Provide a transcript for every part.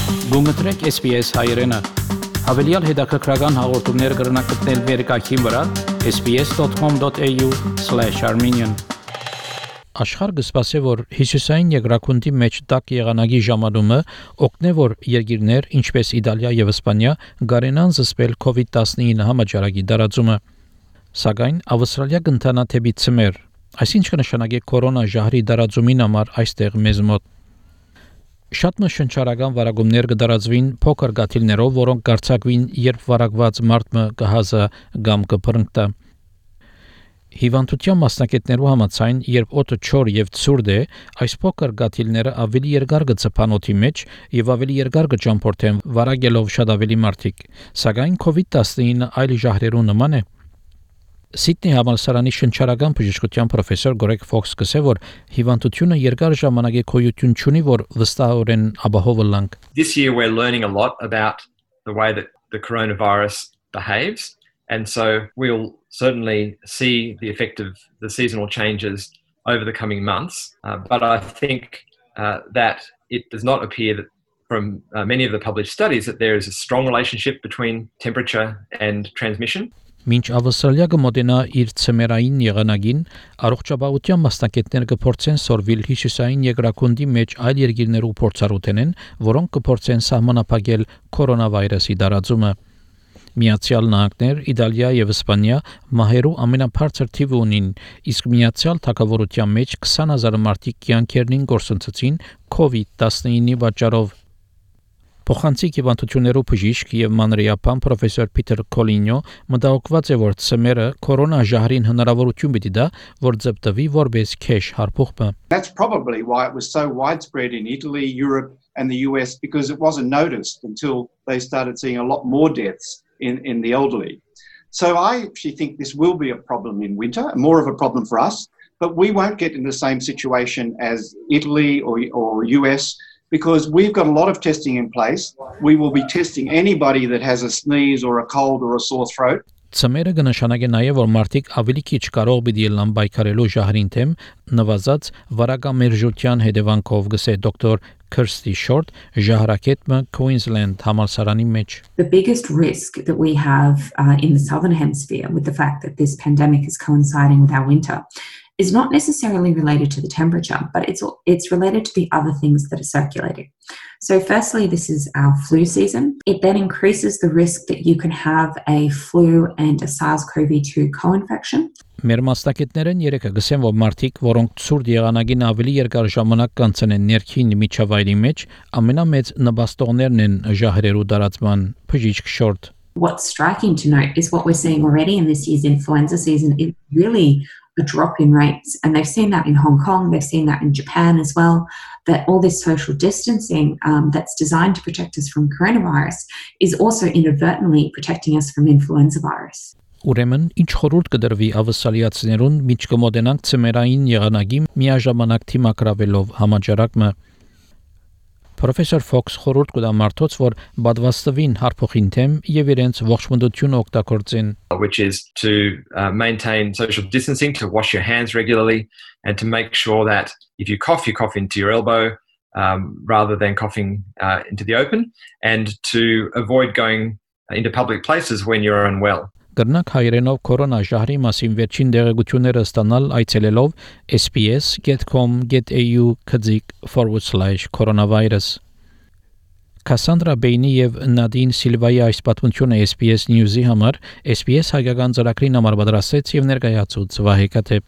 Գումտրեք SPS հայերենը։ Հավելյալ հետաքրքրական հաղորդումներ կգրնակցնել վերկայքին վրա sbs.com.au/armenian Աշխարհը սպասե որ Հիսուսային երկրակունտի մեջ տակ եղանակի ժամանումը օգնե որ երկիրներ ինչպես Իտալիա եւ Իսպանիա գարենան զսպել COVID-19 համաճարակի դարածումը սակայն Ավստրալիա կընթանա թեպի ցմեր այսինքն նշանակե կորոնա ժահրի դարածումին համար այստեղ մեզ մոտ Շատ մշնչարական վարակումներ կդարածվին փոքր գաթիլներով, որոնք կարծակվին, երբ վարակված մարդը կհազը կամ կփռնկտա։ Հիվանդության մասնակիցներու համաձայն, երբ օդը չոր եւ ցուրտ է, այս փոքր գաթիլները ավելի երկար կցփան օդի մեջ եւ ավելի երկար կճամփորդեն վարակելով շատ ավելի մարդիկ։ Սակայն COVID-19 այլ ժահրերու նման է։ Սիդնեի համալսարանի շնչարական բժշկության պրոֆեսոր Greg Fox կսե որ հիվանդությունը երկար ժամանակ է գոյություն ունի որ վստահորեն ապահով լանք This year we're learning a lot about the way that the coronavirus behaves and so we'll certainly see the effect of the seasonal changes over the coming months but I think that it does not appear that from many of the published studies that there is a strong relationship between temperature and transmission Մինչ Ավստրալիա կմոտենա իր ցմերային եղանակին, առողջապահության մասնակիցներ կփորձեն սորվիլ հյուսիսային երկրակունդի մեջ այլ երկիրներու փորձառութենեն, որոնք կփորձեն սահմանափակել կորոնավիրուսի դարածումը։ Միացյալ Նահանգներ, Իտալիա եւ Իսպանիա մահերու ամենաբարձր թիվը ունին, իսկ Միացյալ Թագավորության մեջ 20,000 մարդիկ կյանքերին գործընծեցին COVID-19-ի պատճառով։ Փոխանցիկ հիվանդություններու բժիշկ եւ մանրիապան պրոֆեսոր Պիտեր Կոլինյո մտահոգված է որ ցմերը կորոնա ժահրին հնարավորություն պիտի դա որ ձգտվի որպես քեշ հարփուխը That's probably why it was so widespread in Italy, Europe and the US because it wasn't noticed until they started seeing a lot more deaths in the elderly. So I actually think this will be a problem in winter, more of a problem for us, but we won't get in the same situation as Italy or US because we've got a lot of testing in place. We will be testing anybody that has a sneeze or a cold or a sore throat. Ցմերը կնշանակե նաև որ մարդիկ ավելի քիչ կարող պիտի ելնան բայկարելու ժահրին թեմ նվազած վարակամերժության հետևանքով գսե դոկտոր Kirsty Short ժահրակետը Queensland համալսարանի մեջ The biggest risk that we have in the southern hemisphere with the fact that this pandemic is coinciding with our winter is not necessarily related to the temperature, but it's related to the other things that are circulating. So firstly, this is our flu season. It then increases the risk that you can have a flu and a SARS-CoV-2 co-infection. Մեր մասնակիցներն երեքը գսեն որ մարդիկ, որոնք ցուրտ եղանակին ավելի երկար ժամանակ կանցնեն ներքին միջավայրի մեջ, ամենամեծ նպաստողներն են ժահրերու դարածման բժիշկ Short. What's striking to note is what we're seeing already in this year's influenza season is really a drop in rates and they've seen that in Hong Kong, they've seen that in Japan as well, that all this social distancing that's designed to protect us from coronavirus is also inadvertently protecting us from influenza virus. Ուրեմն ինչ խորհուրդ կդրվի ավստրալիացիներուն միջ կմոտենանք ցմերային եղանակի միաժամանակ թիմակրավելով համաճարակը Professor Fox խորհուրդ կտա մարդոց որ բադվաստվին հարփոխին թեմ եւ իրենց ողջունությունը օգտագործեն which is to maintain social distancing to wash your hands regularly and to make sure that if you cough into your elbow rather than coughing into the open and to avoid going into public places when you're unwell Կրնակ հայերենով կորոնա ժահրի մասին վերջին դեղեցությունները ստանալ այցելելով sps.com.au/coronavirus Cassandra Bainey եւ Nadine Silva-ի այս պատմությունը SPS News-ի համար SPS հայկական ծրագրին համար պատրաստեց եւ ներկայացուց Վահե Կաթեփ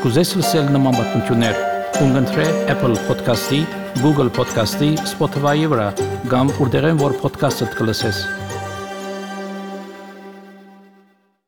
Կուզես լսել նման պատմություններ Ունգընտրե Apple Podcast-ի, Google Podcast-ի, Spotify-ի վրա կամ որտեղեն որ podcast-ը կլսես